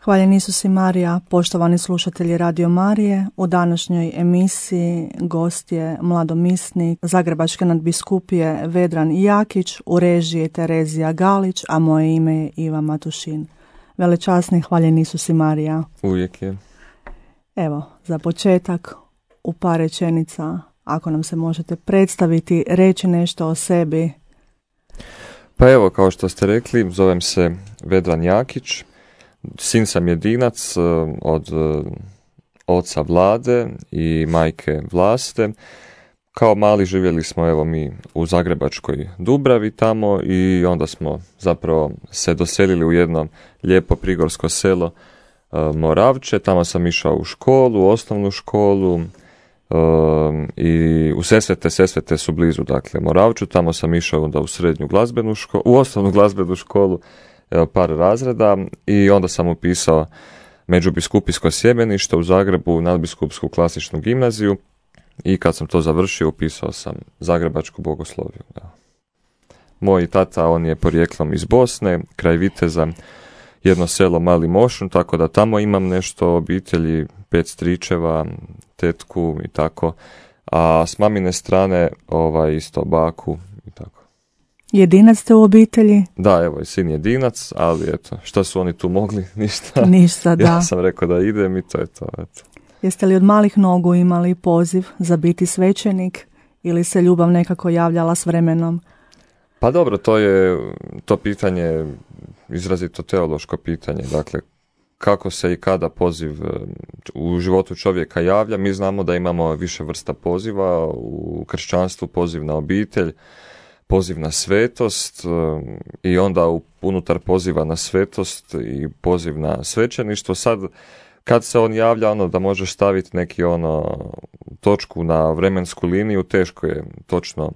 Hvaljen Isus i Marija, poštovani slušatelji Radio Marije. U današnjoj emisiji gost je mladomisnik Zagrebačke nadbiskupije Vedran Jakić, u režiji Terezija Galić, a moje ime je Iva Matušin. Velečasni, hvaljen Isus i Marija. Uvijek je. Evo, za početak, u par rečenica, ako nam se možete predstaviti, reći nešto o sebi. Pa evo, kao što ste rekli, zovem se Vedran Jakić. Sin sam jedinac od oca Vlade i majke Vlaste. Kao mali živjeli smo evo mi u Zagrebačkoj Dubravi tamo i onda smo zapravo se doselili u jedno lijepo prigorsko selo Moravče. Tamo sam išao u školu, osnovnu školu i u Sesvete su blizu, dakle Moravču. Tamo sam išao onda u srednju glazbenu školu, u osnovnu glazbenu školu, par razreda i onda sam upisao međubiskupijsko sjemenište u Zagrebu, nadbiskupsku klasičnu gimnaziju i kad sam to završio upisao sam Zagrebačku bogosloviju. Da. Moj tata, on je porijeklom iz Bosne, kraj Viteza, jedno selo Mali Mošun, tako da tamo imam nešto obitelji, 5 stričeva, tetku i tako, a s mamine strane isto baku i tako. Jedinac ste u obitelji? Da, evo, sin jedinac, ali eto, šta su oni tu mogli? Ništa. Ništa, da. Ja sam rekao da idem i to je to, eto. Jeste li od malih nogu imali poziv za biti svećenik ili se ljubav nekako javljala s vremenom? Pa dobro, to pitanje izrazito teološko pitanje, dakle, kako se i kada poziv u životu čovjeka javlja. Mi znamo da imamo više vrsta poziva, u kršćanstvu poziv na obitelj, poziv na svetost i onda unutar poziva na svetost i poziv na svećeništvo. Sad, kad se on javlja, da možeš staviti neki točku na vremensku liniju, teško je točno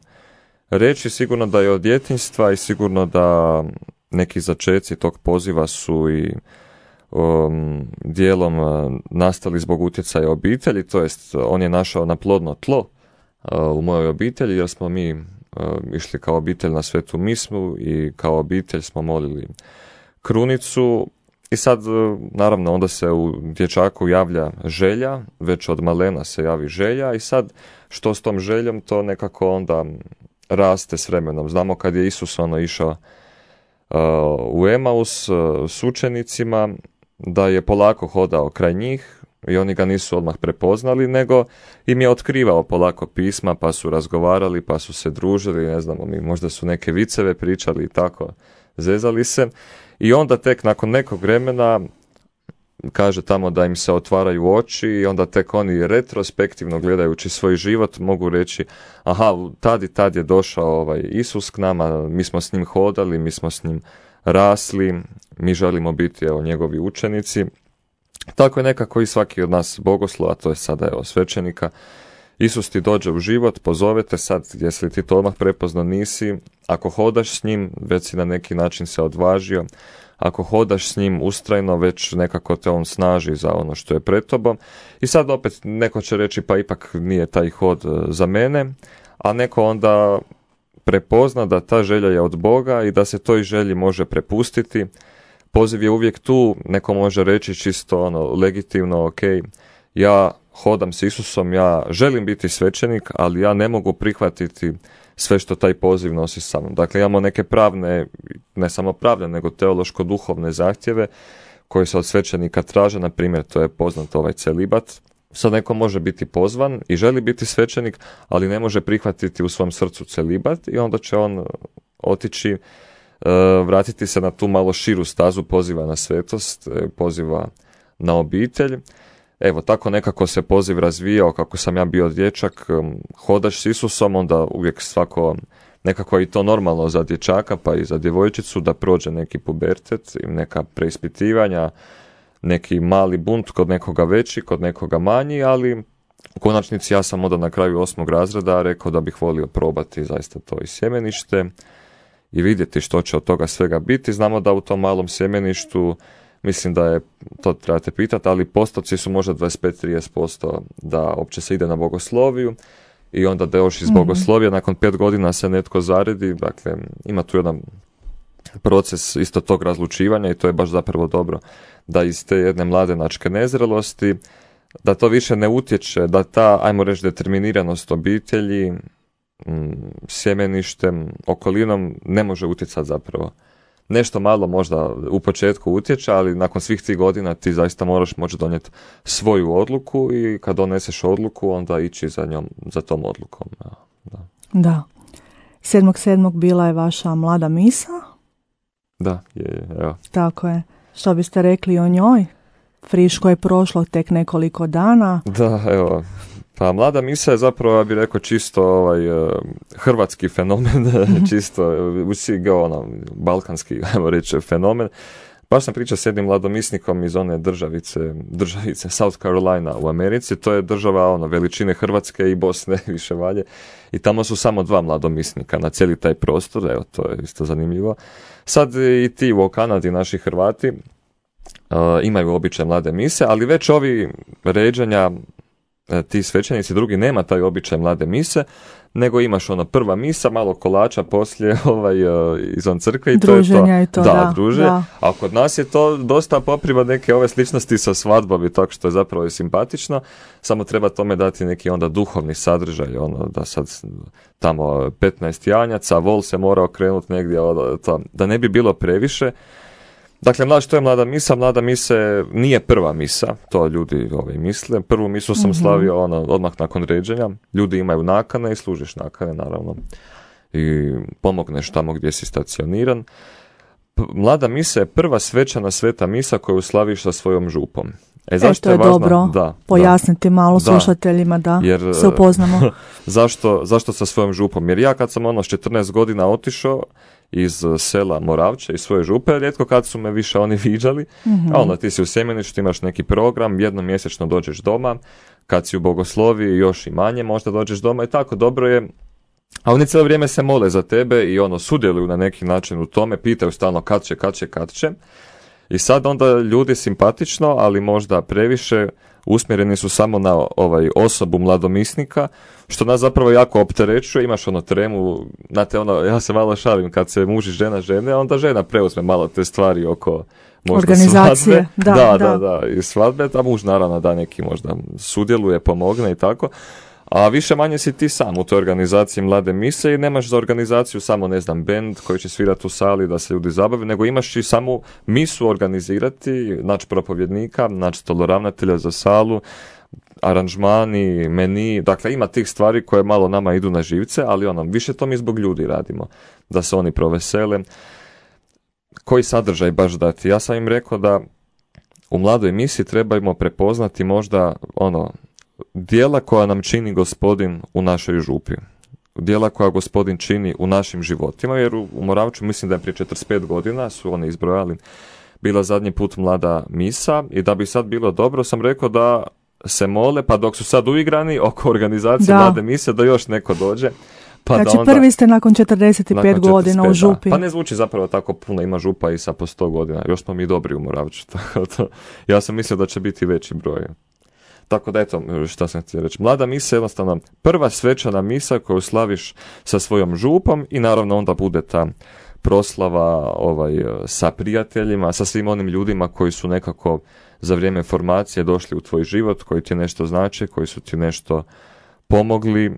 reći. Sigurno da je od djetinjstva i sigurno da neki začeci tog poziva su i dijelom nastali zbog utjecaja obitelji, to jest on je našao na plodno tlo u mojoj obitelji, jer smo mi išli kao obitelj na svetu mismu i kao obitelj smo molili krunicu i sad naravno onda se u dječaku javlja želja, već od malena se javi želja i sad što s tom željom, to nekako onda raste s vremenom. Znamo kad je Isus išao u Emaus s učenicima, da je polako hodao kraj njih i oni ga nisu odmah prepoznali, nego im je otkrivao polako pisma, pa su razgovarali, pa su se družili, ne znamo mi, možda su neke viceve pričali i tako, zezali se. I onda tek nakon nekog vremena kaže tamo da im se otvaraju oči i onda tek oni retrospektivno gledajući svoj život mogu reći, aha, tad je došao Isus k nama, mi smo s njim hodali, mi smo s njim rasli, mi želimo biti njegovi učenici. Tako je nekako i svaki od nas bogoslova, to je sada svećenika. Isus ti dođe u život, pozovete sad, jesi li ti to odmah prepoznao, nisi. Ako hodaš s njim, već si na neki način se odvažio. Ako hodaš s njim ustrajno, već nekako te on snaži za ono što je pred tobom. I sad opet neko će reći, pa ipak nije taj hod za mene, a neko onda prepozna da ta želja je od Boga i da se toj želji može prepustiti. Poziv je uvijek tu, neko može reći čisto legitimno, ok, ja hodam s Isusom, ja želim biti svećenik, ali ja ne mogu prihvatiti sve što taj poziv nosi sa mnom. Dakle, imamo neke pravne, ne samo pravne, nego teološko-duhovne zahtjeve koje se od svećenika traže, na primjer, to je poznat celibat. Sad neko može biti pozvan i želi biti svećenik, ali ne može prihvatiti u svom srcu celibat i onda će on otići, vratiti se na tu malo širu stazu poziva na svetost, poziva na obitelj. Evo, tako nekako se poziv razvijao, kako sam ja bio dječak, hodaš s Isusom, onda uvijek svako, nekako je i to normalno za dječaka, pa i za djevojčicu, da prođe neki pubertet i neka preispitivanja, neki mali bunt kod nekoga veći, kod nekoga manji, ali u konačnici ja sam onda na kraju 8. razreda rekao da bih volio probati zaista to i sjemenište i vidjeti što će od toga svega biti. Znamo da u tom malom sjemeništu, mislim da je, to trebate pitati, ali postoci su možda 25-30% da uopće se ide na bogosloviju i onda da još iz bogoslovija nakon 5 godina se netko zaredi, dakle ima tu jedan proces isto tog razlučivanja i to je baš zapravo dobro da iz te jedne mladenačke nezrelosti, da to više ne utječe, da ta, ajmo reći, determiniranost obitelji, sjemeništem, okolinom ne može utjecati zapravo. Nešto malo možda u početku utječe, ali nakon svih tih godina ti zaista moraš moći donijeti svoju odluku i kad doneseš odluku onda ići za tom odlukom. Da. 7.7. bila je vaša mlada misa? Da, je, evo. Tako je. Što biste rekli o njoj? Friško je prošlo tek nekoliko dana. Da, evo. Pa mlada misa je zapravo, ja bih rekao, čisto hrvatski fenomen, čisto balkanski, ajmo reći, fenomen. Baš sam pričao s jednim mladomisnikom iz one državice South Carolina u Americi, to je država veličine Hrvatske i Bosne više valje i tamo su samo 2 mladomisnika na cijeli taj prostor, evo to je isto zanimljivo. Sad i ti u Kanadi, naši Hrvati, imaju običaj mlade mise, ali već ovi ređanja, ti svećenici drugi nema taj običaj mlade mise, nego imaš prva misa, malo kolača poslije izvan crkve i druženja to je to. Da, druže. Da. A kod nas je to dosta popriva neke ove sličnosti sa svadbom i tako što je zapravo i simpatično, samo treba tome dati neki onda duhovni sadržaj, da sad tamo 15 janjaca, vol se mora okrenuti negdje, da ne bi bilo previše. Dakle, što je mlada misa? Mlada misa nije prva misa, to ljudi misle. Prvu misu sam slavio odmah nakon ređenja. Ljudi imaju nakane i služiš nakane, naravno. I pomogneš tamo gdje si stacioniran. Mlada misa je prva svečana sveta misa koju slaviš sa svojom župom. Zašto je važno? Dobro pojasniti malo slušateljima da se upoznamo. Zašto sa svojom župom? Jer ja kad sam s 14 godina otišao iz sela Moravče, iz svoje župe, rijetko kad su me više oni viđali, a onda ti si u sjemeništu, imaš neki program, jednom mjesečno dođeš doma, kad si u bogoslovi još i manje možda dođeš doma i tako dobro je, a oni cijelo vrijeme se mole za tebe i sudjeluju na neki način u tome, pitaju stalno kad će. I sad onda ljudi simpatično, ali možda previše, usmjereni su samo na osobu mladomisnika, što nas zapravo jako opterećuje. Imaš tremu, znate, ja se malo šalim, kad se muž i žena žene, onda žena preuzme malo te stvari oko možda organizacije. Svadbe. Da, i svadbe, a muž naravno da neki možda sudjeluje, pomogne i tako. A više manje si ti sam u toj organizaciji mlade mise i nemaš za organizaciju samo, bend koji će svirati u sali da se ljudi zabave, nego imaš i samu misu organizirati, naći propovjednika, naći stoloravnatelja za salu, aranžmani, meni, dakle ima tih stvari koje malo nama idu na živce, ali više to mi zbog ljudi radimo, da se oni provesele. Koji sadržaj baš dati? Ja sam im rekao da u mladoj misi trebamo prepoznati možda djela koja nam čini Gospodin u našoj župi. Djela koja Gospodin čini u našim životima, jer u Moravču mislim da je prije 45 godina su oni izbrojali bila zadnji put mlada misa i da bi sad bilo dobro sam rekao da se mole, pa dok su sad uigrani oko organizacije mlade mise da još neko dođe. Pa znači onda, prvi ste nakon 45 godina u župi. Pa ne zvuči zapravo tako puno, ima župa i sa po 100 godina, još smo mi dobri u Moravču. Ja sam mislio da će biti veći broj. Tako da eto, šta sam htio reći. Mlada misa je jednostavno prva svečana misa koju slaviš sa svojom župom i naravno onda bude ta proslava sa prijateljima, sa svim onim ljudima koji su nekako za vrijeme formacije došli u tvoj život, koji ti nešto znače, koji su ti nešto pomogli.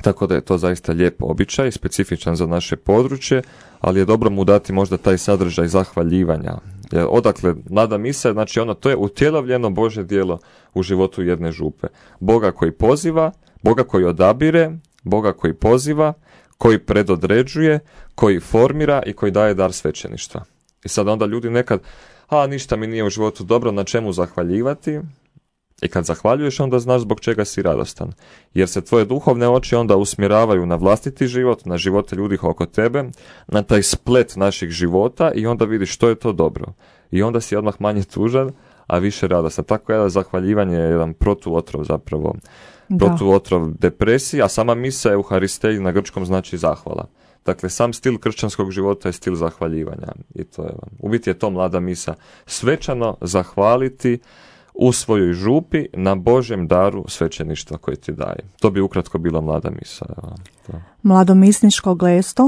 Tako da je to zaista lijep običaj, specifičan za naše područje, ali je dobro mu dati možda taj sadržaj zahvaljivanja. Jer odakle mlada misa, znači to je utjelovljeno Božje djelo u životu jedne župe. Boga koji poziva, Boga koji odabire, Boga koji poziva, koji predodređuje, koji formira i koji daje dar svećeništva. I sad onda ljudi nekad, ništa mi nije u životu dobro, na čemu zahvaljivati? I kad zahvaljuješ, onda znaš zbog čega si radostan. Jer se tvoje duhovne oči onda usmjeravaju na vlastiti život, na živote ljudi oko tebe, na taj splet naših života i onda vidiš što je to dobro. I onda si odmah manje tužan, a više radostan. Tako je zahvaljivanje je jedan protuotrov zapravo. Protuotrov depresiji, a sama misa Euharisteji na grčkom znači zahvala. Dakle, sam stil kršćanskog života je stil zahvaljivanja. I to je, u biti je to mlada misa. Svečano zahvaliti u svojoj župi na Božjem daru svećeništva koji ti daje. To bi ukratko bila mlada misa. Mladomisničko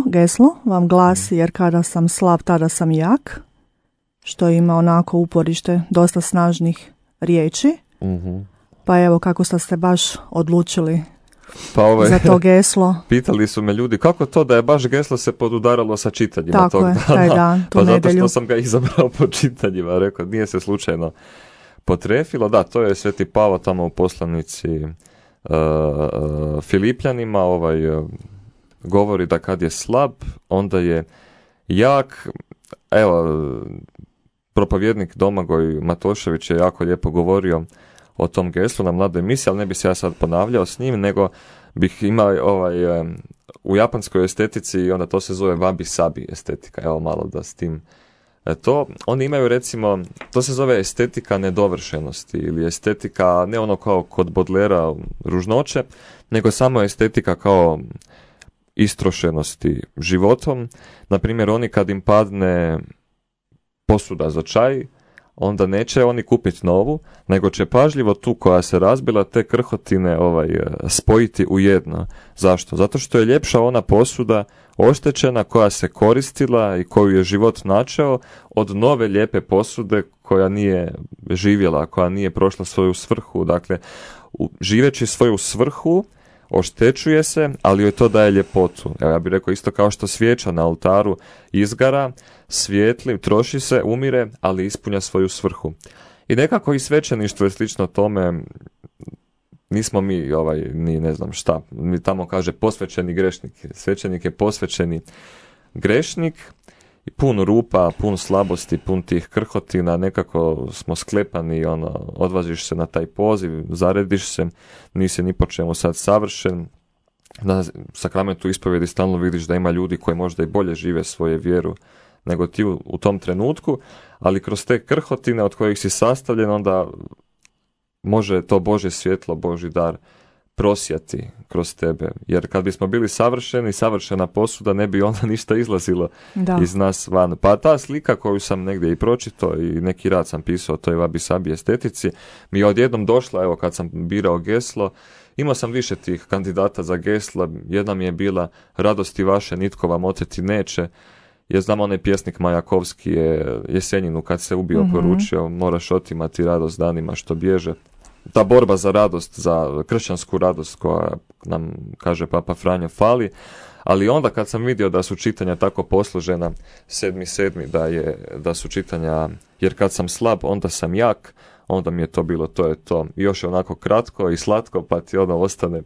geslo vam glasi jer kada sam slab, tada sam jak, što ima onako uporište dosta snažnih riječi. Pa evo kako ste se baš odlučili za to geslo. Pitali su me ljudi kako to da je baš geslo se podudaralo sa čitanjima tako tog dana. Taj dan, tu pa nedjelju. Zato što sam ga izabrao po čitanjima. Rekao, nije se slučajno potrefilo. Da, to je Sveti Pavao tamo u poslanici Filipljanima govori da kad je slab, onda je jak. Evo, propovjednik Domagoj Matošević je jako lijepo govorio o tom geslu na mladoj misiji, ali ne bi se ja sad ponavljao s njim, nego bih imao u japanskoj estetici, onda to se zove wabi sabi estetika, evo malo da s tim to, oni imaju recimo, to se zove estetika nedovršenosti ili estetika, ne ono kao kod Bodlera ružnoće, nego samo estetika kao istrošenosti životom. Naprimjer, oni kad im padne posuda za čaj, onda neće oni kupiti novu, nego će pažljivo tu koja se razbila te krhotine spojiti u jedno. Zašto? Zato što je ljepša ona posuda oštećena koja se koristila i koju je život načeo od nove lijepe posude koja nije živjela, koja nije prošla svoju svrhu. Dakle, živeći svoju svrhu oštećuje se, ali joj to daje ljepotu. Evo, ja bih rekao isto kao što svijeća na oltaru izgara, svijetli, troši se, umire, ali ispunja svoju svrhu. I nekako i svećeništvo je slično tome, nismo mi ni ne znam šta, mi tamo kaže posvećeni grešnik. Svećenik je posvećeni grešnik, pun rupa, pun slabosti, pun tih krhotina, nekako smo sklepani, odvaziš se na taj poziv, zarediš se, nisi ni po čemu sad savršen. Na sakramentu ispovjedi stalno vidiš da ima ljudi koji možda i bolje žive svoje vjeru nego ti u tom trenutku, ali kroz te krhotine od kojih si sastavljen, onda može to Božje svjetlo, Božji dar prosjati kroz tebe. Jer kad bismo bili savršeni, savršena posuda, ne bi onda ništa izlazilo iz nas van. Pa ta slika koju sam negdje i pročitao i neki rad sam pisao o toj wabi sabi estetici, mi je odjednom došla, evo kad sam birao geslo, imao sam više tih kandidata za gesla, jedna mi je bila radosti vaše nitko vam oteti neće, jer znam onaj pjesnik Majakovski je Jesenjinu kad se ubio poručio, moraš otimati radost danima što bježe. Ta borba za radost, za kršćansku radost koja nam, kaže Papa Franjo, fali, ali onda kad sam vidio da su čitanja tako posložena 7.7. da su čitanja, jer kad sam slab, onda sam jak, onda mi je to bilo, to je to. I još je onako kratko i slatko, pa ti ono ostane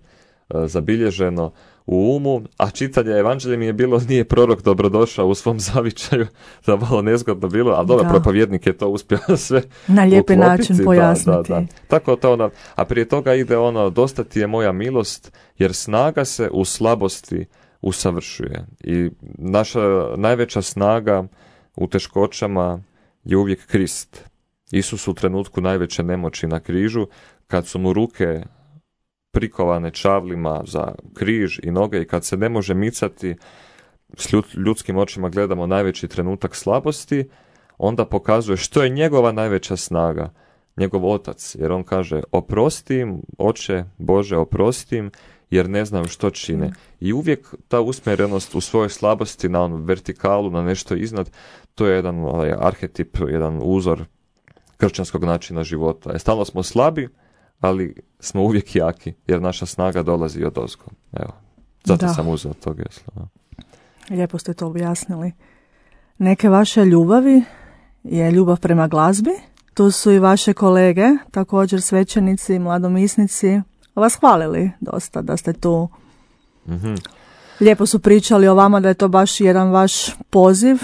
zabilježeno u umu, a čitanje evanđelja mi je bilo, nije prorok dobrodošao u svom zavičaju, da malo nezgodno bilo, ali dobro, propovjednik je to uspio sve na lijepi uklopiti, način pojasniti. Da. Tako to a prije toga ide dosta ti je moja milost, jer snaga se u slabosti usavršuje. I naša najveća snaga u teškoćama je uvijek Krist. Isus u trenutku najveće nemoći na križu, kad su mu ruke prikovane čavlima za križ i noge i kad se ne može micati, s ljudskim očima gledamo najveći trenutak slabosti, onda pokazuje što je njegova najveća snaga, njegov otac, jer on kaže oprosti im, oče Bože oprosti, jer ne znam što čine. I uvijek ta usmjerenost u svojoj slabosti na onu vertikalu, na nešto iznad, to je jedan arhetip, jedan uzor kršćanskog načina života. Stalno smo slabi, ali smo uvijek jaki, jer naša snaga dolazi od ozgo. Evo, zato sam uzeo to geslo. Lijepo ste to objasnili. Neke vaše ljubavi je ljubav prema glazbi. Tu su i vaše kolege, također svećenici, mladomisnici, vas hvalili dosta da ste tu. Lijepo su pričali o vama da je to baš jedan vaš poziv,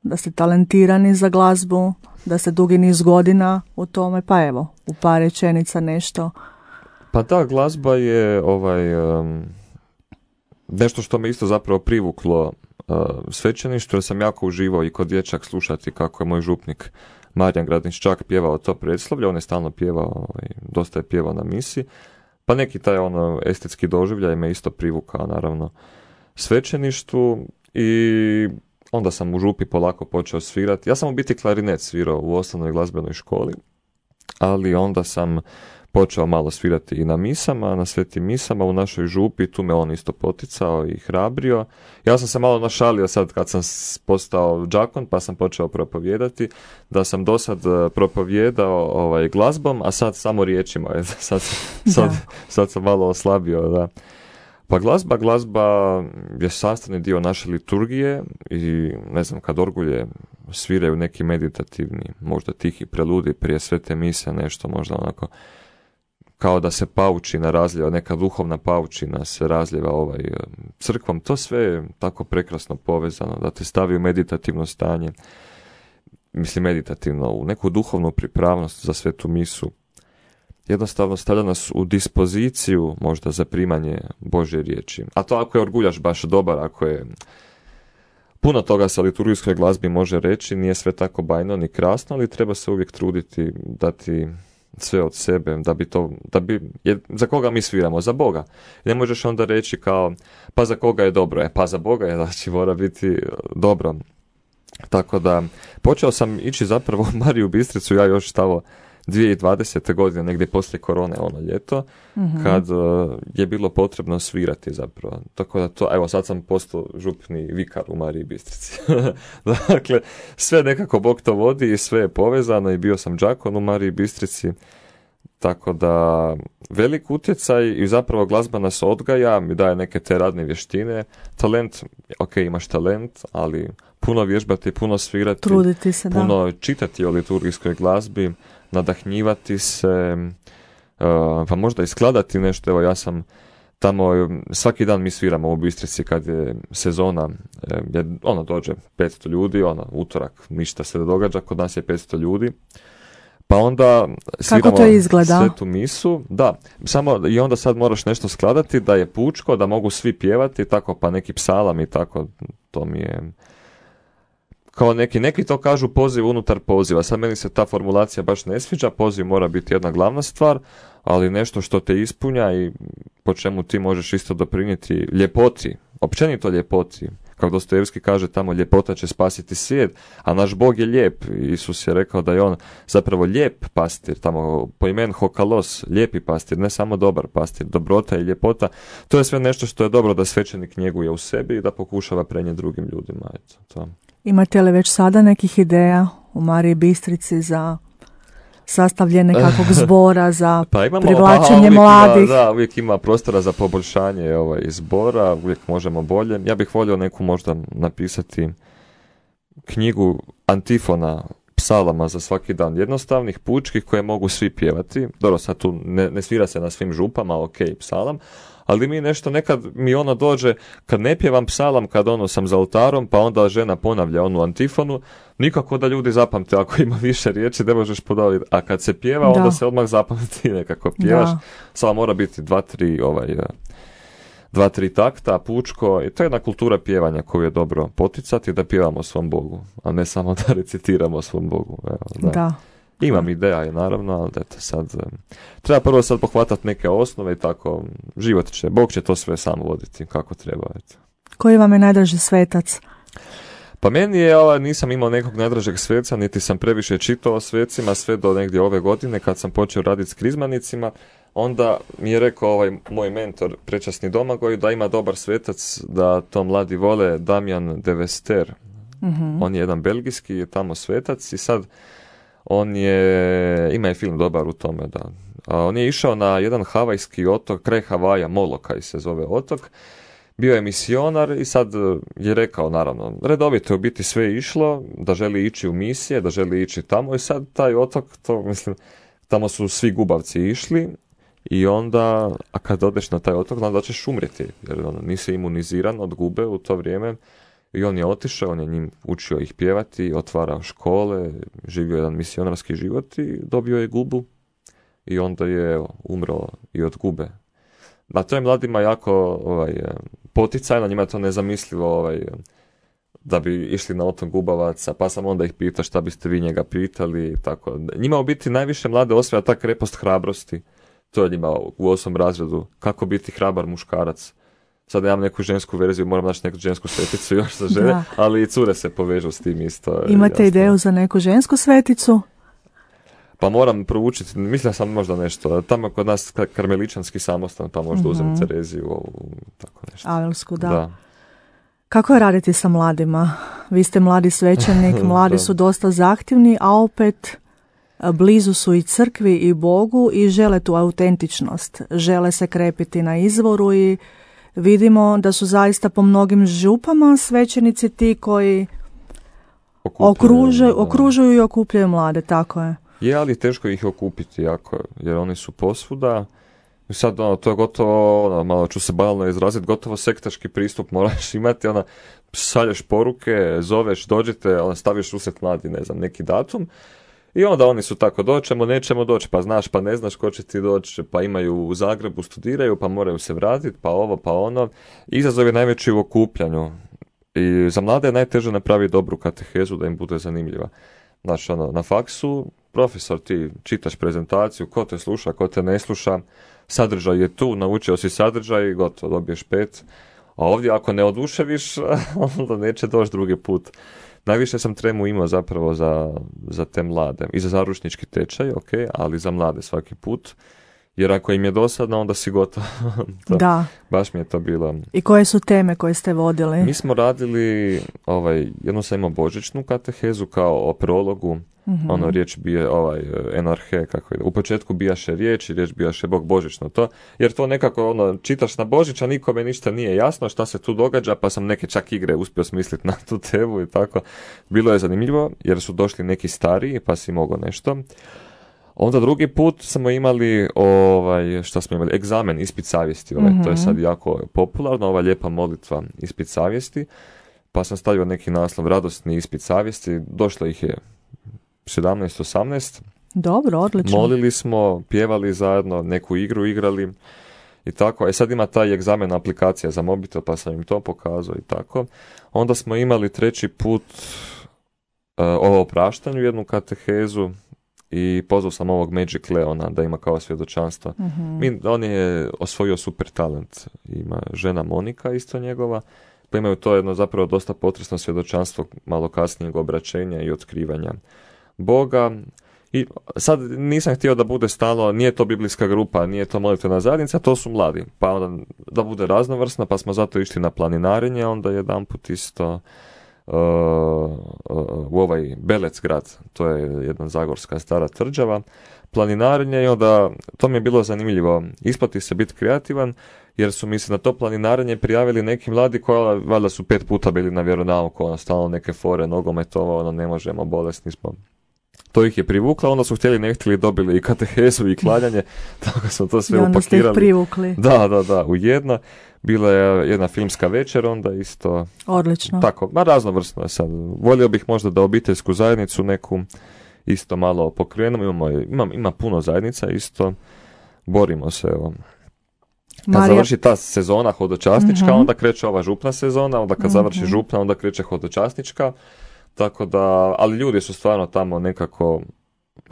da ste talentirani za glazbu, da ste dugi niz godina u tome, pa evo, u par rečenica nešto. Pa da, glazba je nešto što me isto zapravo privuklo svećeništvo, jer sam jako uživao i kod dječak slušati kako je moj župnik Marijan Gradniččak pjevao to predslavlje, on je stalno pjevao, dosta je pjevao na misi, pa neki taj estetski doživljaj me isto privukao naravno svećeništvu i onda sam u župi polako počeo svirati. Ja sam u biti klarinet svirao u osnovnoj glazbenoj školi ali onda sam počeo malo svirati i na misama, na svetim misama u našoj župi, tu me on isto poticao i hrabrio. Ja sam se malo našalio sad kad sam postao đakon, pa sam počeo propovijedati, da sam do sad propovijedao glazbom, a sad samo riječima. Sad sam malo oslabio, da. Pa glazba je sastavni dio naše liturgije i ne znam, kad orgulje sviraju neki meditativni, možda tihi preludi prije svete mise, nešto možda onako kao da se paučina razljeva, neka duhovna paučina se razljeva crkvom, to sve je tako prekrasno povezano, da te stavi u meditativno stanje, mislim meditativno, u neku duhovnu pripravnost za svetu misu. Jednostavno stavlja nas u dispoziciju možda za primanje Božje riječi. A to ako je orguljaš baš dobar, ako je puno toga sa liturgijskoj glazbi može reći, nije sve tako bajno ni krasno, ali treba se uvijek truditi dati sve od sebe, za koga mi sviramo? Za Boga. Ne možeš onda reći kao, pa za koga je dobro? Pa za Boga je, znači mora biti dobro. Tako da, počeo sam ići zapravo u Mariju Bistricu, ja još tamo 2020. godine, negdje poslije korone, ljeto, kad je bilo potrebno svirati zapravo. Tako da to, evo sad sam postao župni vikar u Mariji Bistrici. Dakle, sve nekako Bog to vodi i sve je povezano i bio sam đakon u Mariji Bistrici. Tako da, velik utjecaj i zapravo glazba nas odgaja, mi daje neke te radne vještine. Talent, ok, imaš talent, ali puno vježbati, puno svirati, truditi se, puno čitati o liturgijskoj glazbi, nadahnjivati se, pa možda i skladati nešto. Evo ja sam tamo, svaki dan mi sviramo u Bistrici kad je sezona, dođe 500 ljudi, utorak ništa se ne događa, kod nas je 500 ljudi. Pa onda sviramo svetu misu, da, samo i onda sad moraš nešto skladati da je pučko, da mogu svi pjevati, tako pa neki psalam i tako, to mi je kao neki to kažu poziv unutar poziva. Sad meni se ta formulacija baš ne sviđa, poziv mora biti jedna glavna stvar, ali nešto što te ispunja i po čemu ti možeš isto doprinijeti ljepoti, općenito ljepoti. Kako Dostojevski kaže tamo, ljepota će spasiti svijet, a naš Bog je lijep. Isus je rekao da je on zapravo lijep pastir, tamo po imenu Hokalos, lijepi pastir, ne samo dobar pastir, dobrota i ljepota. To je sve nešto što je dobro da svećenik njeguje u sebi i da pokušava prenijeti drugim ljudima. Eto, to. Imate li već sada nekih ideja u Mariji Bistrici za sastavljanje nekakvog zbora, za privlačenje mladih? Uvijek ima prostora za poboljšanje zbora, uvijek možemo bolje. Ja bih volio neku možda napisati knjigu antifona, psalama za svaki dan, jednostavnih, pučkih, koje mogu svi pjevati. Dobro, sad tu ne svira se na svim župama, ok, psalam, ali mi nešto, nekad mi dođe, kad ne pjevam psalam, kad sam za oltarom, pa onda žena ponavlja onu antifonu, nikako da ljudi zapamte, ako ima više riječi, ne možeš podaviti, a kad se pjeva, onda se odmah zapamti, nekako pjevaš, samo mora biti 2-3 takta, pučko, i to je jedna kultura pjevanja koju je dobro poticati, da pjevamo svom Bogu, a ne samo da recitiramo svom Bogu. Evo, da. Imam ideja, naravno, ali eto sad, treba prvo sad pohvatati neke osnove i tako, život će, Bog će to sve sam voditi kako treba. Eto. Koji vam je najdraži svetac? Pa meni je, nisam imao nekog najdražeg sveca, niti sam previše čitao o svecima, sve do negdje ove godine kad sam počeo raditi s krizmanicima. Onda mi je rekao moj mentor, prečasni Domagoj, da ima dobar svetac, da to mladi vole, Damjan de Vester. Mm-hmm. On je jedan belgijski tamo svetac i sad ima je film dobar u tome, da. On je išao na jedan havajski otok, kraj Havaja, Molokaj se zove otok. Bio je misionar i sad je rekao, naravno, redovito je u biti sve išlo, da želi ići u misije, da želi ići tamo i sad taj otok, tamo su svi gubavci išli i onda, a kad odeš na taj otok, onda ćeš umrijeti, jer nisi imuniziran od gube u to vrijeme. I on je otišao, on je njim učio ih pjevati, otvarao škole, živio jedan misionarski život i dobio je gubu i onda je umro i od gube. A to je mladima jako poticajno, njima je to nezamislivo da bi išli na otok Gubavaca, pa sam onda ih pitao šta biste vi njega pitali. Tako. Njima u biti najviše mlade osvaja ta krepost hrabrosti, to je njima u 8. razredu, kako biti hrabar muškarac. Sad imam neku žensku verziju, moram naći neku žensku sveticu još za žene, ali i cure se povežu s tim isto. Imate ideju za neku žensku sveticu? Pa moram proučiti, mislim sam možda nešto, tamo kod nas karmeličanski samostan, pa možda uzem Tereziju, tako nešto. Avelsku, da. Kako je raditi sa mladima? Vi ste mladi svećenik, mladi su dosta zahtjevni, a opet blizu su i crkvi i Bogu i žele tu autentičnost. Žele se krepiti na izvoru i vidimo da su zaista po mnogim župama svećenici ti koji okružuju i okupljaju mlade, tako je. Je, ali teško ih okupiti jako, jer oni su posvuda. I sad, to je gotovo, malo ću se banalno izraziti, gotovo sektaški pristup moraš imati, šalješ poruke, zoveš, dođite, staviš usred mladi, ne znam, neki datum. I onda oni su tako, doćemo, nećemo doći, pa znaš, pa ne znaš ko će ti doći, pa imaju u Zagrebu, studiraju, pa moraju se vratiti, pa ovo, pa ono. Izazov je najveći u okupljanju. I za mlade je najteže napraviti dobru katehezu da im bude zanimljiva. Znači, na faksu, profesor, ti čitaš prezentaciju, ko te sluša, ko te ne sluša, sadržaj je tu, naučio si sadržaj i gotovo, dobiješ 5. A ovdje ako ne oduševiš, onda neće doći drugi put. Najviše sam tremu imao zapravo za te mlade. I za zaručnički tečaj, ok, ali za mlade svaki put. Jer ako im je dosadno, onda si gotov. Da. Baš mi je to bilo. I koje su teme koje ste vodili? Mi smo radili, jednu sam imao božićnu katehezu kao o prologu. Riječ bije, enarhe, kako je. U početku bijaše riječ i riječ bijaše Bog, božićno to. Jer to nekako, čitaš na Božić, a nikome ništa nije jasno šta se tu događa, pa sam neke čak igre uspio smisliti na tu temu i tako. Bilo je zanimljivo, jer su došli neki stariji, pa si mogao nešto. Onda drugi put smo imali, egzamen, ispit savjesti, to je sad jako popularno, ova lijepa molitva, ispit savjesti, pa sam stavio neki naslov, radosni ispit savjesti, došlo ih je 17-18. Dobro, odlično. Molili smo, pjevali zajedno, neku igru igrali i tako. Sad ima taj egzamen aplikacija za mobitel, pa sam im to pokazao i tako. Onda smo imali treći put o opraštanju, jednu katehezu, i pozvao sam ovog Magic Leona da ima kao svjedočanstvo. On je osvojio super talent. Ima žena Monika isto njegova, pa imaju to jedno zapravo dosta potresno svjedočanstvo malo kasnijeg obraćenja i otkrivanja Boga. I sad nisam htio da bude stalno, nije to biblijska grupa, nije to molitvena zajednica, to su mladi. Pa onda da bude raznovrsno, pa smo zato išli na planinarenje, onda jedanput isto u ovaj Belec grad, to je jedna zagorska stara tvrđava, planinarenje, i onda to mi je bilo zanimljivo, isplati se biti kreativan, jer su mi se na to planinarenje prijavili neki mladi koji valjda su 5 puta bili na vjeronauku, stalno neke fore, nogometova, ne možemo, bolesni smo. To ih je privuklo, onda su htjeli, ne htjeli, dobili i katehezu i klanjanje, tako smo to sve upakirali. I onda ste ih privukli. Da, u jedno. Bila je jedna filmska večer, onda isto. Odlično. Tako, raznovrsno je sad. Volio bih možda da obiteljsku zajednicu neku isto malo pokrenemo. Ima puno zajednica isto. Borimo se, evo. Kad završi ta sezona hodočasnička, onda kreće ova župna sezona, onda kad završi župna, onda kreće hodočasnička. Tako da, ali ljudi su stvarno tamo nekako,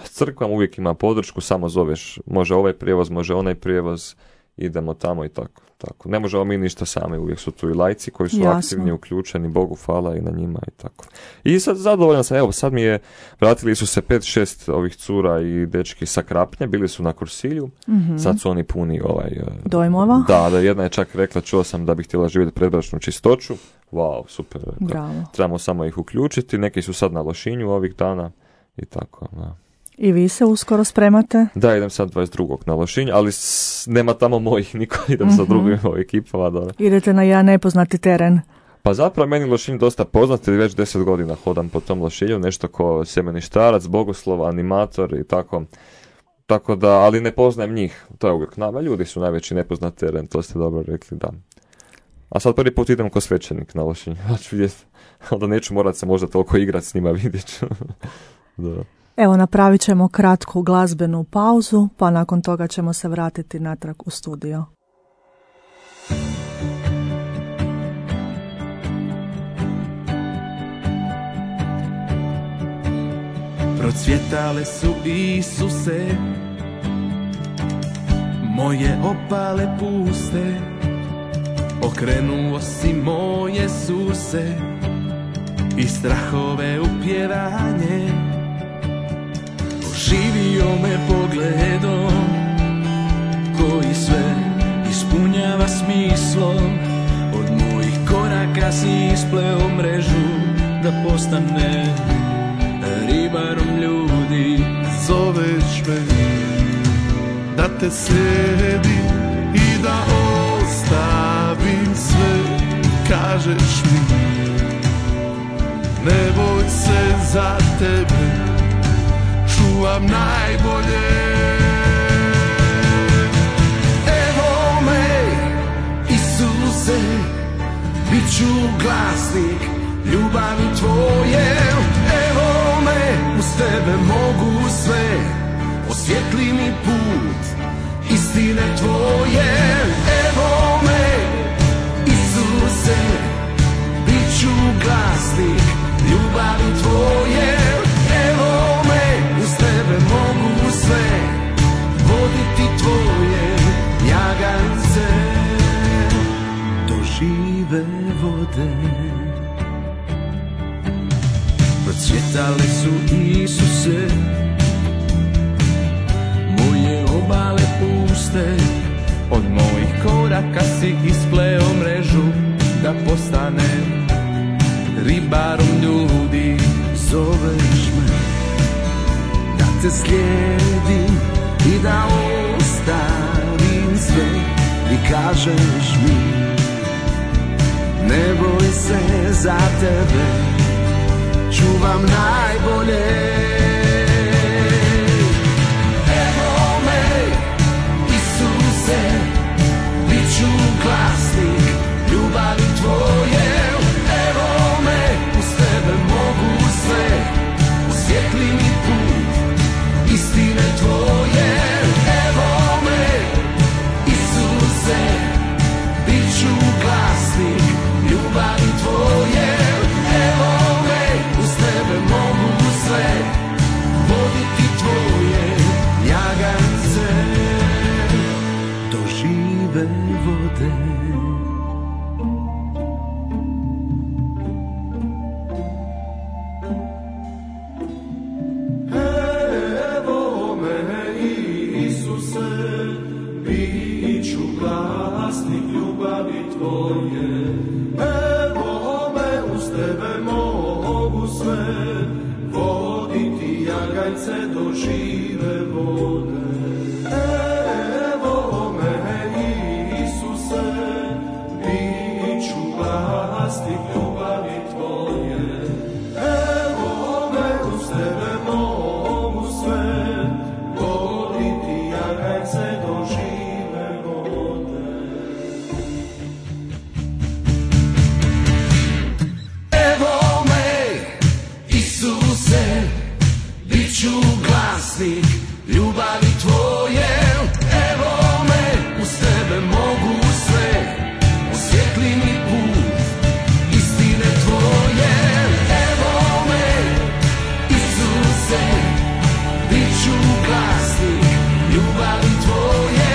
s crkvom uvijek ima podršku, samo zoveš, može ovaj prijevoz, može onaj prijevoz, idemo tamo i tako. Ne možemo mi ništa sami, uvijek su tu i lajci koji su aktivni, uključeni, Bogu hvala i na njima i tako. I sad zadovoljan sam, evo sad vratili su se 5-6 ovih cura i dečki sa Krapnje, bili su na Kursilju, sad su oni puni dojmova. Da, jedna je čak rekla, čuo sam da bi htjela živjeti predbračnu čistoću. Wow, super. Bravo. Trebamo samo ih uključiti, neki su sad na Lošinju ovih dana i tako, da. I vi se uskoro spremate? Da, idem sad 22. na Lošinj, ali nema tamo mojih niko, idem sa drugim ekipama. Da. Idete na jedan nepoznati teren. Pa zapravo meni Lošinj dosta poznat, jer već 10 godina hodam po tom Lošinju, nešto ko sjemeništarac, bogoslov, animator i tako. Tako da, ali ne poznajem njih, to je uvijek nama, ljudi su najveći nepoznat teren, to ste dobro rekli, da. A sad prvi put idem ko svećenik na Lošinj, onda neću morat se možda toliko igrat s njima, vidjet ću. Da. Evo, napravit ćemo kratku glazbenu pauzu, pa nakon toga ćemo se vratiti natrag u studio. Procvjetale su, Isuse, moje opale puste, okrenuo si moje suse i strahove u pjevanje. Oživio da postane ribarom ljudi. Zoveš me da te slijedim i da ostavim sve. Kažeš mi ne boj se, za tebe čuvam najbolje. Evo me Isuse, bit ću glasnik ljubavi tvoje. Evo me, uz tebe mogu sve, osvijetli mi put istine tvoje. Evo me Isuse, bit ću glasnik ljubavi tvoje. Evo me, uz tebe mogu sve, voditi tvoje jagance do žive vode. Procvjetale su Isuse moje obale puste. Od mojih koraka si ispleo mrežu da postanem ribarom ljudi. Zoveš me da te slijedim i da ostavim sve. I kažeš mi ne boj se, za tebe čuvam najbolje. Evo me Isuse, bit ću glasnik ljubavi tvoje. Evo me, uz tebe mogu sve, osvijetli mi put istine tvoje. Evo me Isuse, bit ću glasnik ljubavi tvoje. Evo me, uz tebe mogu sve, voditi tvoje jagance do žive vode. Evo me Isuse, bit ću glasnik ljubavi tvoje. Evo me, uz tebe mogu sve, voditi jagajce do žive vode. Evo me Isuse, bit ću glasnik ljubavi tvoje. Evo me, uz tebe mogu sve, voditi jagajce do žive vode. Evo me Isuse, bit ću glasnik ljubavi tvoje. Evo me, uz tebe mogu sve, osvijetli mi put istine tvoje. Evo me Isuse, bit ću glasnik ljubavi tvoje.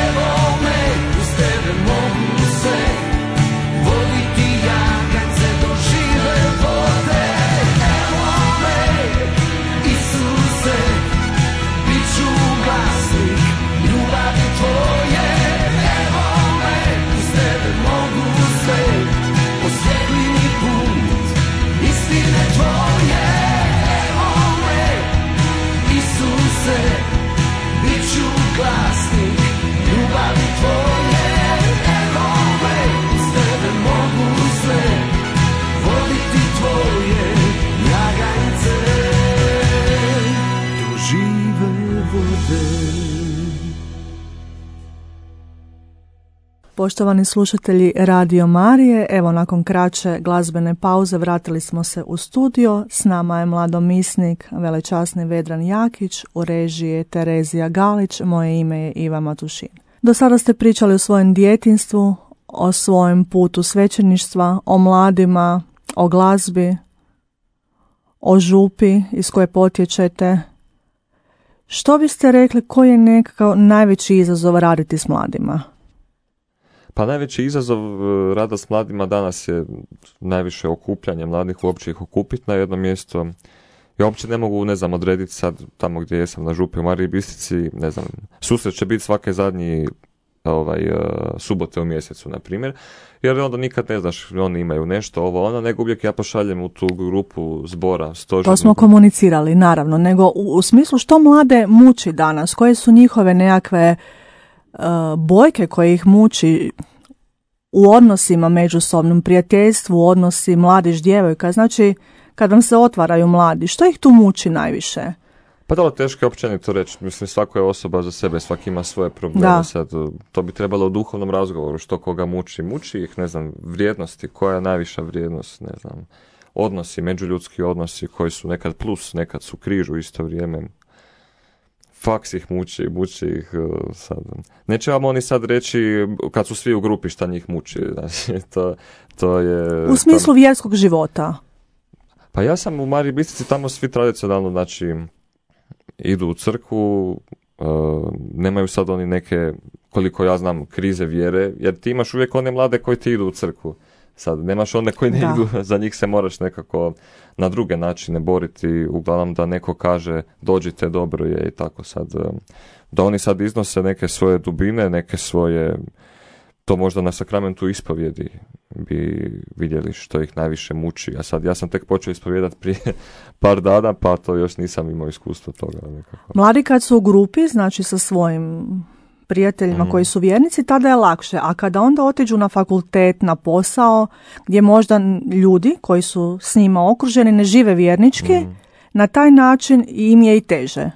Evo me, uz tebe mogu sve, voditi jagance do žive vode. Evo me Isuse, bit ću glasnik ljubavi tvoje. Evo me, uz tebe mogu sve, osvijetli mi put istine tvoje. Evo me Isuse, bit ću glasnik ljubavi tvoje. Evo me, uz tebe mogu sve, voditi tvoje jagajce do žive vode. Poštovani slušatelji Radio Marije, evo nakon kraće glazbene pauze vratili smo se u studio. S nama je mladomisnik velečasni Vedran Jakić, u režiji je Terezija Galić, moje ime je Iva Matušin. Do sada ste pričali o svojem djetinjstvu, o svojem putu svećeništva, o mladima, o glazbi, o župi iz koje potječete. Što biste rekli, koji je nekakav najveći izazov raditi s mladima? Pa najveći izazov rada s mladima danas je najviše okupljanje mladih, uopće ih okupiti na jedno mjesto. Ja uopće ne mogu, odrediti sad tamo gdje jesam na župi u Mariji Bistrici, susret će biti svake zadnji subote u mjesecu, na primjer, jer onda nikad ne znaš, oni imaju nešto, ovo, ono, nego uvijek ja pošaljem u tu grupu zbora, stožernu. To smo komunicirali, naravno, nego u smislu što mlade muči danas, koje su njihove nekakve bojke koje ih muči u odnosima međusobnom, prijateljstvu, odnosi mladić-djevojka, znači kad vam se otvaraju mladi, što ih tu muči najviše? Pa dobro, teško je općenito reći. Mislim, svako je osoba za sebe, svaki ima svoje probleme. Sad, to bi trebalo u duhovnom razgovoru, što koga muči. Muči ih, ne znam, vrijednosti, koja je najviša vrijednost, ne znam, odnosi, međuljudski odnosi koji su nekad plus, nekad su križ u isto vrijeme. Faks ih muči ih sad. Neće vam oni sad reći kad su svi u grupi šta njih muči. Znači, to je... U smislu vjerskog života. Pa ja sam u Mariji Bistrici, tamo svi tradicionalno, znači, idu u crkvu, nemaju sad oni neke, koliko ja znam, krize vjere, jer ti imaš uvijek one mlade koji ti idu u crkvu. Sad, nemaš one koji ne idu, za njih se moraš nekako na druge načine boriti, uglavnom da neko kaže dođite, dobro je i tako sad. Da oni sad iznose neke svoje dubine, neke svoje, to možda na sakramentu ispovjedi bi vidjeli što ih najviše muči. A sad ja sam tek počeo ispovjedati prije par dana, pa to još nisam imao iskustva toga. Nekako. Mladi kad su u grupi, znači sa svojim prijateljima koji su vjernici, tada je lakše. A kada onda otiđu na fakultet, na posao, gdje možda ljudi koji su s njima okruženi ne žive vjernički, na taj način im je i teže.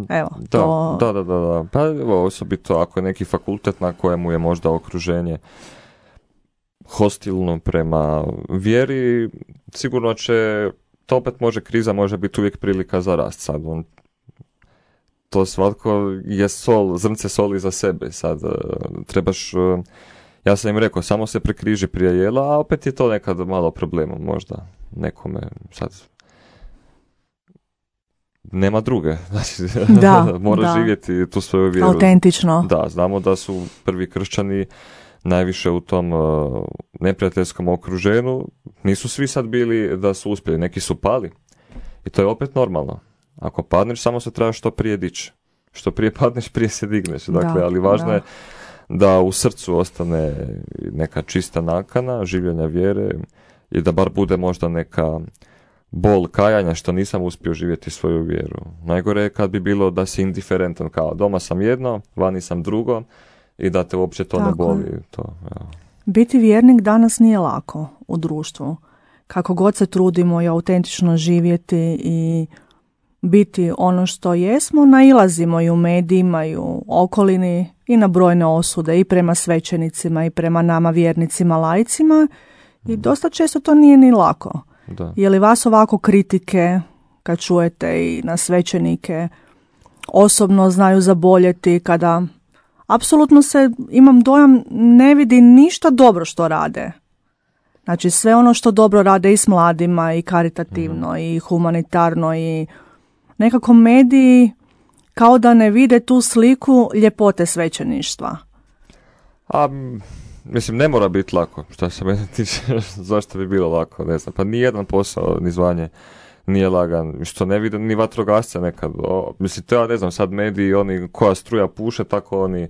Evo, Da. Pa evo, osobito ako je neki fakultet na kojemu je možda okruženje hostilno prema vjeri, sigurno će, to opet kriza može biti uvijek prilika za rast. Sad to svatko je zrnce soli za sebe. Sad trebaš, ja sam im rekao, samo se prekriži prije jela, a opet je to nekad malo problemom možda nekome sad. Nema druge, znači mora živjeti tu svoju vjeru. Autentično. Da, znamo da su prvi kršćani najviše u tom neprijateljskom okruženju. Nisu svi sad bili da su uspjeli, neki su pali. I to je opet normalno. Ako padneš, samo se treba što prije dići. Što prije padneš, prije se digneš. Dakle, ali važno je da u srcu ostane neka čista nakana, življenja vjere i da bar bude možda neka bol kajanja što nisam uspio živjeti svoju vjeru. Najgore je kad bi bilo da si indiferentan, kao doma sam jedno, vani sam drugo i da te uopće to ne boli. Biti vjernik danas nije lako u društvu. Kako god se trudimo i autentično živjeti i biti ono što jesmo, nailazimo i u medijima i u okolini i na brojne osude i prema svećenicima i prema nama vjernicima, laicima i dosta često to nije ni lako. Da. Je li vas ovako kritike kad čujete i na svećenike osobno znaju zaboljeti kada apsolutno se, imam dojam, ne vidi ništa dobro što rade? Znači sve ono što dobro rade i s mladima i karitativno i humanitarno i nekako mediji kao da ne vide tu sliku ljepote svećeništva. Mislim, ne mora biti lako, što se mene tiče, zašto bi bilo lako, ne znam, pa nijedan posao, ni zvanje nije lagan, što ne vide ni vatrogasce nekad, mislim, to ja ne znam, sad mediji, oni koja struja puše, tako oni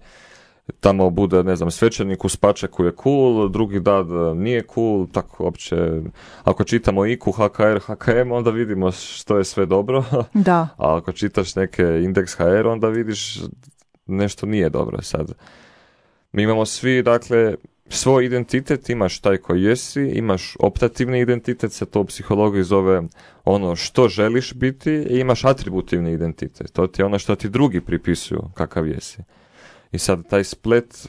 tamo bude, ne znam, svećenik u spačeku je cool, drugi dan nije cool, tako uopće, ako čitamo IQ, HKR, HKM, onda vidimo što je sve dobro, da. A ako čitaš neke indeks HR, onda vidiš nešto nije dobro sad. Mi imamo svi, dakle, svoj identitet, imaš taj koji jesi, imaš optativni identitet, se to u psihologiji zove ono što želiš biti, i imaš atributivni identitet, to ti je ono što ti drugi pripisuju kakav jesi. I sad taj splet,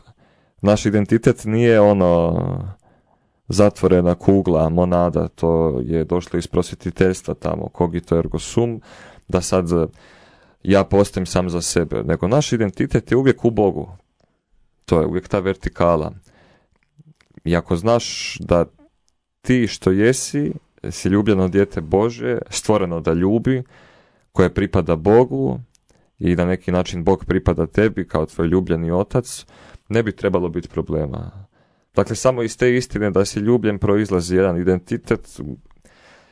naš identitet nije ono zatvorena kugla, monada, to je došlo iz prosvjetiteljstva tamo, cogito ergo sum, da sad ja postojem sam za sebe, nego naš identitet je uvijek u Bogu. To je uvijek ta vertikala. I ako znaš da ti što jesi, si ljubljeno dijete Božje, stvoreno da ljubi, koje pripada Bogu i na neki način Bog pripada tebi kao tvoj ljubljeni otac, ne bi trebalo biti problema. Dakle, samo iz te istine da si ljubljen proizlazi jedan identitet.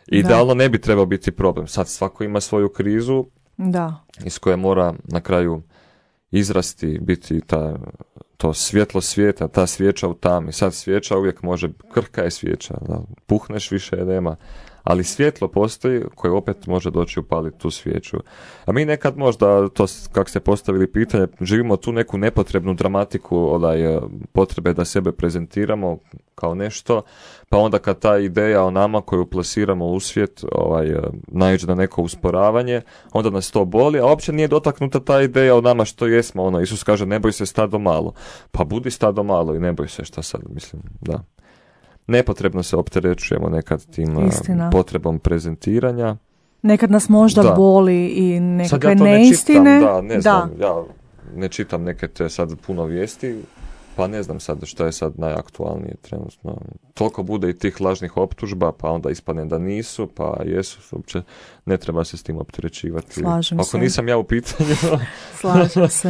Idealno ne bi trebao biti problem. Sad svako ima svoju krizu iz koje mora na kraju izrasti, biti to svjetlo svijeta, ta svijeća u tami. Sad svijeća uvijek može, krhka je svijeća, da, puhneš više je nema, ali svjetlo postoji koje opet može doći upaliti tu svijeću. A mi nekad možda, to kako ste postavili pitanje, živimo tu neku nepotrebnu dramatiku, potrebe da sebe prezentiramo kao nešto, pa onda kad ta ideja o nama koju plasiramo u svijet naiđe na neko usporavanje, onda nas to boli, a uopće nije dotaknuta ta ideja o nama što jesmo. Isus kaže ne boj se stado malo. Pa budi stado malo i ne boj se, šta sad, mislim, da. Nepotrebno se opterećujemo nekad tim potrebom prezentiranja. Nekad nas možda boli i nekakve neistine. Ja ne čitam neke te sad puno vijesti, pa ne znam sad što je sad najaktualnije trenutno. Toliko bude i tih lažnih optužba, pa onda ispadne da nisu, pa jesu, uopće ne treba se s tim opterećivati. Slažem se. Ako nisam ja u pitanju.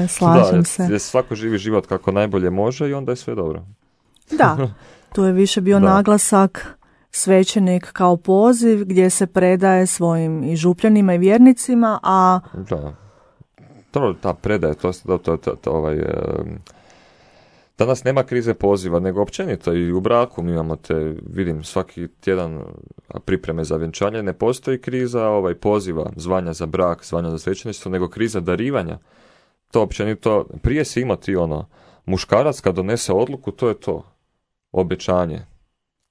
Slažem se. Svako živi život kako najbolje može i onda je sve dobro. Da. Tu je više bio naglasak svećenik kao poziv gdje se predaje svojim i župljanima i vjernicima, a... Da. Ta predaje, danas nema krize poziva, nego općenito i u braku mi imamo vidim svaki tjedan pripreme za vjenčanje, ne postoji kriza poziva, zvanja za brak, zvanja za svećeništvo, nego kriza darivanja. To općenito, prije si imao ti muškarac kad donese odluku, to je to. Obećanje.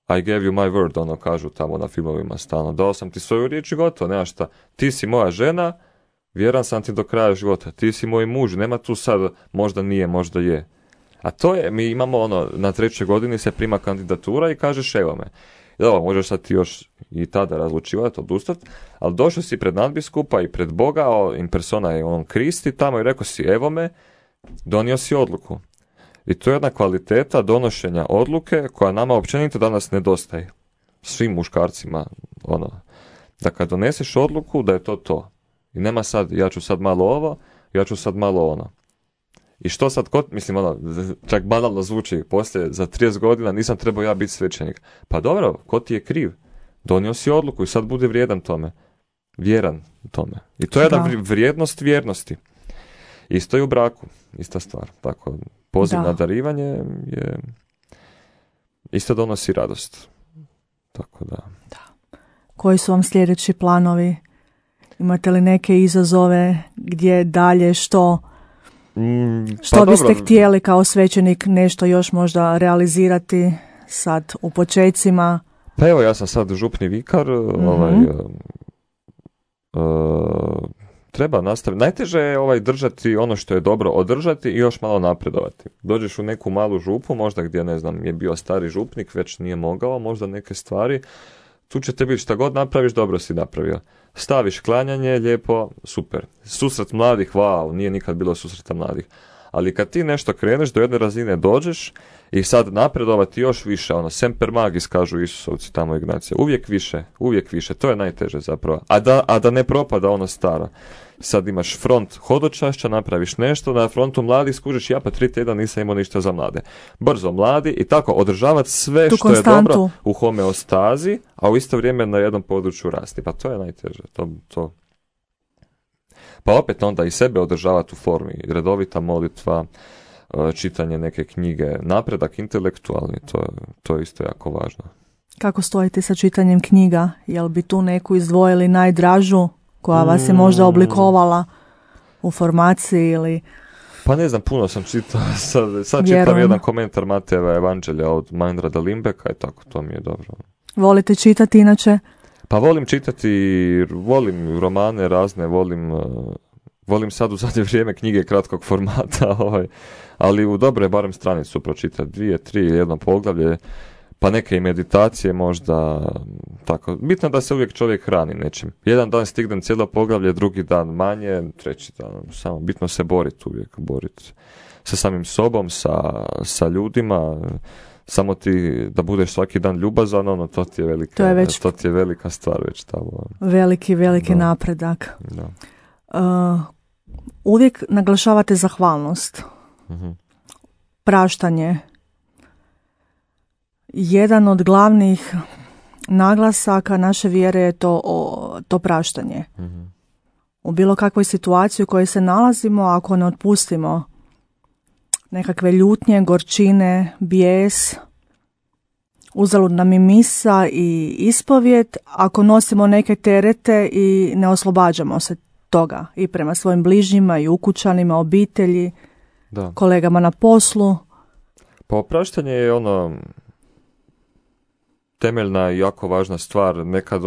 I gave you my word, kažu tamo na filmovima stalno. Dao sam ti svoju riječ i gotovo, nema šta. Ti si moja žena, vjeran sam ti do kraja života. Ti si moj muž, nema tu sad možda nije, možda je. A to je, mi imamo na 3. godini se prima kandidatura i kažeš evo me. Dobro, možeš sad ti još i tada razlučivati, odustati, ali došao si pred nadbiskupa i pred Boga, in persona je Kristi tamo i rekao si evo me, donio si odluku. I to je jedna kvaliteta donošenja odluke koja nama općenito danas nedostaje. Svim muškarcima, da kad doneseš odluku da je to. I nema sad, ja ću sad malo ovo, ja ću sad malo ono. I što sad, čak banalno zvuči, poslije za 30 godina nisam trebao ja biti svećenik. Pa dobro, ko ti je kriv? Donio si odluku i sad bude vrijedan tome. Vjeran tome. I to je jedna vrijednost vjernosti. Isto je u braku, ista stvar. Tako, poziv na darivanje je isto donosi radost. Tako da. Koji su vam sljedeći planovi? Imate li neke izazove gdje dalje što biste htjeli kao svećenik nešto još možda realizirati sad u počecima? Pa evo, ja sam sad župni vikar, treba nastaviti. Najteže je držati ono što je dobro, održati i još malo napredovati. Dođeš u neku malu župu, možda gdje, ne znam, je bio stari župnik, već nije mogao, možda neke stvari. Tu će te biti šta god napraviš, dobro si napravio. Staviš klanjanje, lijepo, super. Susret mladih, wow, nije nikad bilo susreta mladih. Ali kad ti nešto kreneš, do jedne razine dođeš i sad napredovati još više, semper magis, kažu Isusovci tamo Ignacija. Uvijek više, to je najteže zapravo. A da ne propada ono staro. Sad imaš front hodočašća, napraviš nešto, na frontu mladih skužiš, ja pa 3 tjedna nisam imao ništa za mlade. Brzo mladi i tako održavati sve tu što konstantu. Je dobro u homeostazi, a u isto vrijeme na jednom području rasti. Pa to je najteže. To. Pa opet onda i sebe održavati u formi. Redovita molitva, čitanje neke knjige, napredak intelektualni, to je isto jako važno. Kako stojite sa čitanjem knjiga? Jel bi tu neku izdvojili najdražu koja vas je možda oblikovala u formaciji ili... Pa ne znam, puno sam čitao. Sad čitam jedan komentar Matejeva Evanđelja od Meinrada Limbeka i tako, to mi je dobro. Volite čitati inače? Pa volim čitati, volim romane razne, volim sad u zadnje vrijeme knjige kratkog formata, ali u dobro je barem stranicu pročitati, 2, 3 ili jedno poglavlje, pa neke i meditacije možda, tako. Bitno da se uvijek čovjek hrani nečim. Jedan dan stignem cijelo poglavlje, drugi dan manje, treći dan, samo bitno se boriti sa samim sobom, sa ljudima, samo ti da budeš svaki dan ljubazan, to ti je velika stvar već tamo. Veliki napredak. Da. Uvijek naglašavate zahvalnost. Praštanje. Jedan od glavnih naglasaka naše vjere je to praštanje. U bilo kakvoj situaciji u kojoj se nalazimo, ako ne otpustimo, nekakve ljutnje, gorčine, bijes. Uzalud nam i misa i ispovijed ako nosimo neke terete i ne oslobađamo se toga i prema svojim bližnjima i ukućanima, obitelji, Da. kolegama na poslu. Pa opraštanje je temeljna i jako važna stvar. Nekad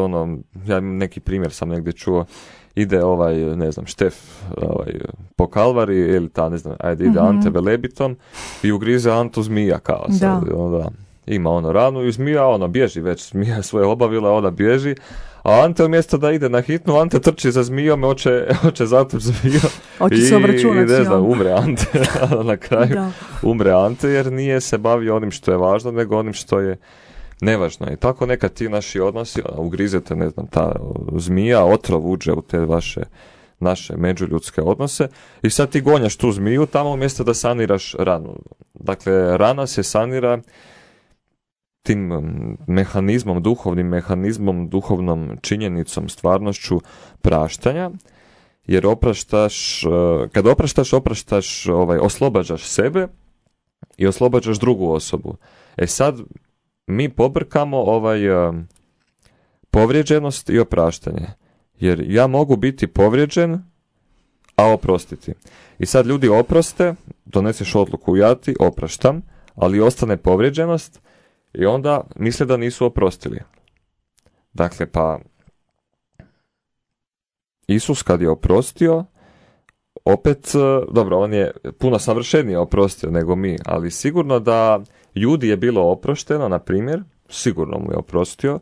ja neki primjer sam negdje čuo, ide Štef po Kalvari ili ide Ante Velebitom i ugrize Antu zmija kao sad. Onda ima ranu i zmija, bježi već, zmija je svoje obavila, ona bježi, a Ante umjesto da ide na hitnu, Ante trči za zmijom, hoće zatući zmiju i umre Ante, na kraju umre Ante jer nije se bavio onim što je važno, nego onim što je nevažno. I tako nekad ti naši odnosi, ugrizete, ta zmija, otrov uđe u te naše međuljudske odnose i sad ti gonjaš tu zmiju tamo umjesto da saniraš ranu. Dakle, rana se sanira tim mehanizmom, duhovnom činjenicom, stvarnošću praštanja, jer kad opraštaš, oslobađaš sebe i oslobađaš drugu osobu. Sad mi pobrkamo povrijeđenost i opraštanje. Jer ja mogu biti povrijeđen, a oprostiti. I sad ljudi oproste, doneseš odluku, ja ti opraštam, ali ostane povrijeđenost i onda misle da nisu oprostili. Dakle, pa Isus kad je oprostio, opet, dobro, on je puno savršenije oprostio nego mi, ali sigurno da Judi je bilo oprošteno, na primjer, sigurno mu je oprostio,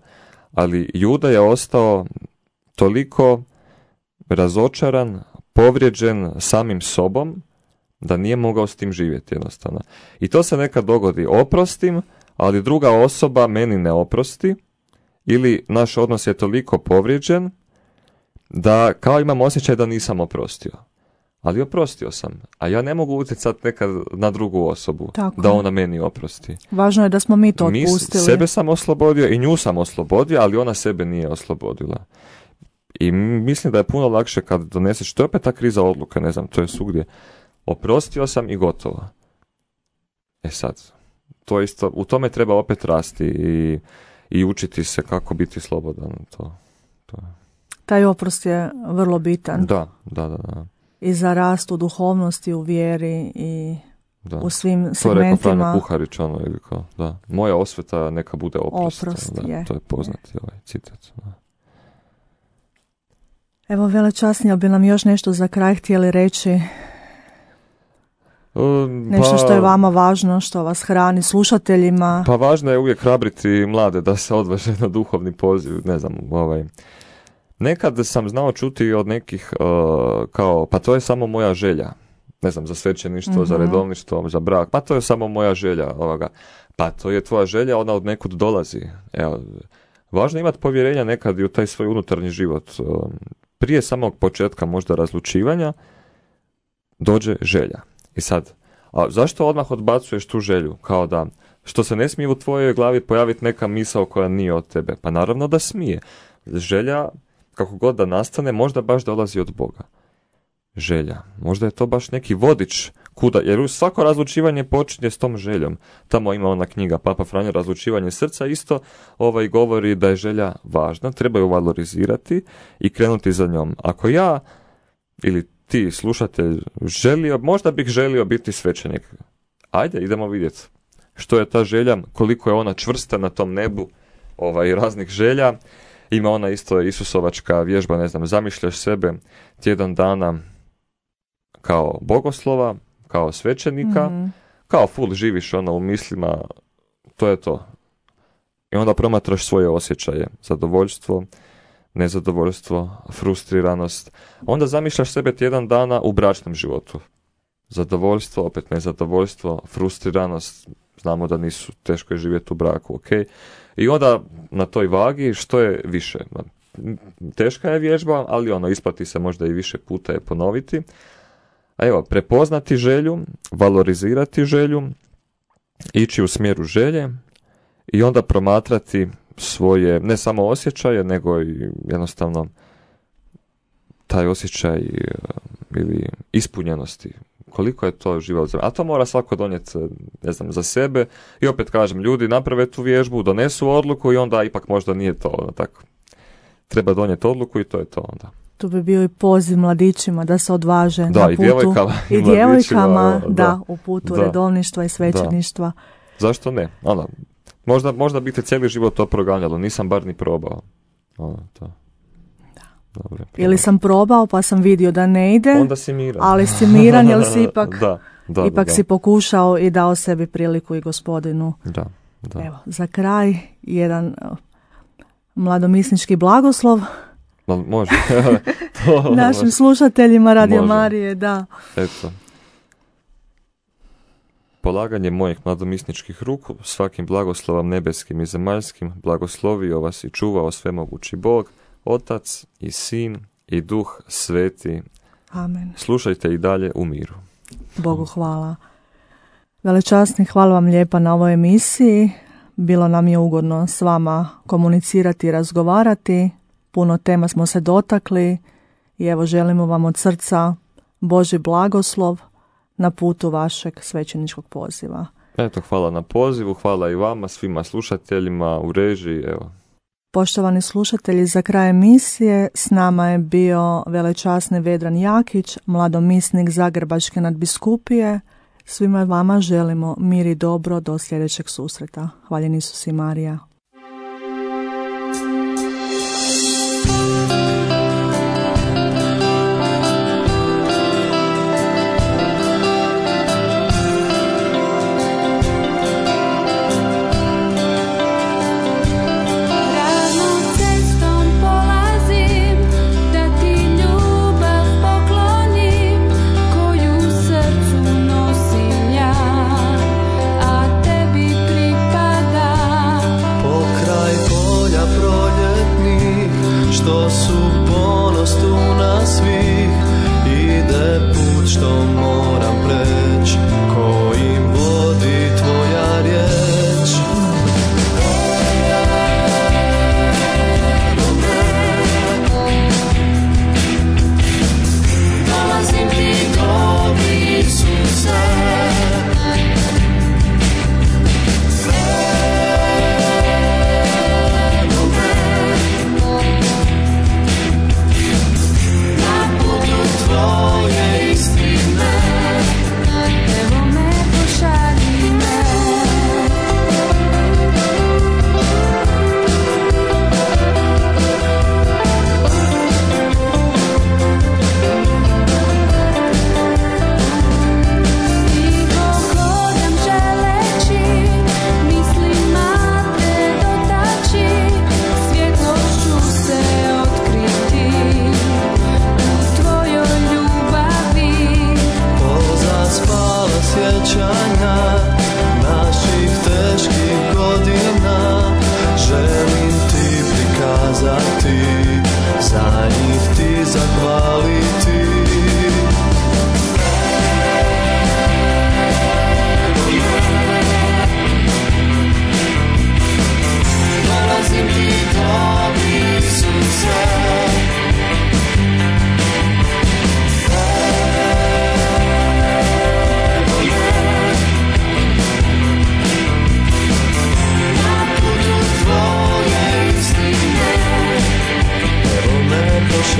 ali Juda je ostao toliko razočaran, povrijeđen samim sobom, da nije mogao s tim živjeti jednostavno. I to se nekad dogodi, oprostim, ali druga osoba meni ne oprosti, ili naš odnos je toliko povrijeđen, da kao imam osjećaj da nisam oprostio. Ali oprostio sam, a ja ne mogu utjecati nekad na drugu osobu, tako da ona meni oprosti. Važno je da smo mi to otpustili. Sebe sam oslobodio i nju sam oslobodio, ali ona sebe nije oslobodila. I mislim da je puno lakše kad doneseš, to je opet ta kriza odluke, ne znam, to je svugdje. Oprostio sam i gotovo. Sad, to isto, u tome treba opet rasti i učiti se kako biti slobodan. To. Taj oprost je vrlo bitan. Da. I za rast u duhovnosti, u vjeri i u svim segmentima. To je rekao Franjo Kuharić, ili kao, da. Moja osveta neka bude oprost. Je. To je poznati citat. Da. Evo, velečasni, bi nam još nešto za kraj htjeli reći? Nešto što je vama važno, što vas hrani, slušateljima? Pa važno je uvijek hrabriti mlade da se odvaže na duhovni poziv, ne znam, Nekad sam znao čuti od nekih kao, pa to je samo moja želja. Ne znam, za svećeništvo, za redovništvo, za brak. Pa to je samo moja želja. Pa to je tvoja želja, ona od nekud dolazi. Evo, važno je imati povjerenja nekad i u taj svoj unutarnji život. Prije samog početka možda razlučivanja dođe želja. I sad, a zašto odmah odbacuješ tu želju? Kao da, što se ne smije u tvojoj glavi pojaviti neka misao koja nije od tebe? Pa naravno da smije. Želja, kako god da nastane, možda baš dolazi od Boga. Želja. Možda je to baš neki vodič kuda, jer svako razlučivanje počinje s tom željom. Tamo ima ona knjiga Papa Franjo, Razlučivanje srca, isto govori da je želja važna, treba ju valorizirati i krenuti za njom. Ako ja ili ti, slušatelj, možda bih želio biti svećenik. Ajde, idemo vidjeti što je ta želja, koliko je ona čvrsta na tom nebu raznih želja. Ima ona isto Isusovačka vježba, ne znam, zamišljaš sebe tjedan dana kao bogoslova, kao svećenika, kao full živiš u mislima, to je to. I onda promatraš svoje osjećaje, zadovoljstvo, nezadovoljstvo, frustriranost. Onda zamišljaš sebe tjedan dana u bračnom životu. Zadovoljstvo, opet nezadovoljstvo, frustriranost, znamo da nisu, teško je živjeti u braku, ok. I onda na toj vagi što je više. Teška je vježba, ali isplati se možda i više puta je ponoviti. A evo, prepoznati želju, valorizirati želju, ići u smjeru želje i onda promatrati svoje, ne samo osjećaje, nego i jednostavno taj osjećaj ili ispunjenosti koliko je to život. A to mora svako donijeti, ne znam, za sebe. I opet kažem, ljudi naprave tu vježbu, donesu odluku i onda ipak možda nije to ono, tako. Treba donijeti odluku i to je to onda. Tu bi bio i poziv mladićima da se odvaže da, na i putu. Djevojkama, I djevojkama, da, u putu redovništva i svećeništva. Da. Zašto ne? Ono, možda bi te cijeli život to proganjalo, nisam bar ni probao. Ono, to. Dobre, ili sam probao pa sam vidio da ne ide, onda si miran. Ali si miran jer si ipak, da. si pokušao i dao sebi priliku i Gospodinu. Da. Evo, za kraj jedan mladomisnički blagoslov. Može. Našim slušateljima Radio Marije, da. Eto. Polaganje mojih mladomisničkih ruku, svakim blagoslovom nebeskim i zemaljskim, blagoslovio vas i čuvao svemogući Bog, Otac i Sin i Duh Sveti. Amen. Slušajte i dalje u miru. Bogu hvala. Velečasni, hvala vam lijepa na ovoj emisiji. Bilo nam je ugodno s vama komunicirati i razgovarati. Puno tema smo se dotakli i evo želimo vam od srca Božji blagoslov na putu vašeg svećeničkog poziva. Eto, hvala na pozivu, hvala i vama, svima slušateljima u režiji, evo. Poštovani slušatelji, za kraj emisije s nama je bio velečasni Vedran Jakić, mladomisnik Zagrebačke nadbiskupije. Svima vama želimo mir i dobro do sljedećeg susreta. Hvaljen Isus i Marija.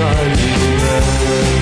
Shining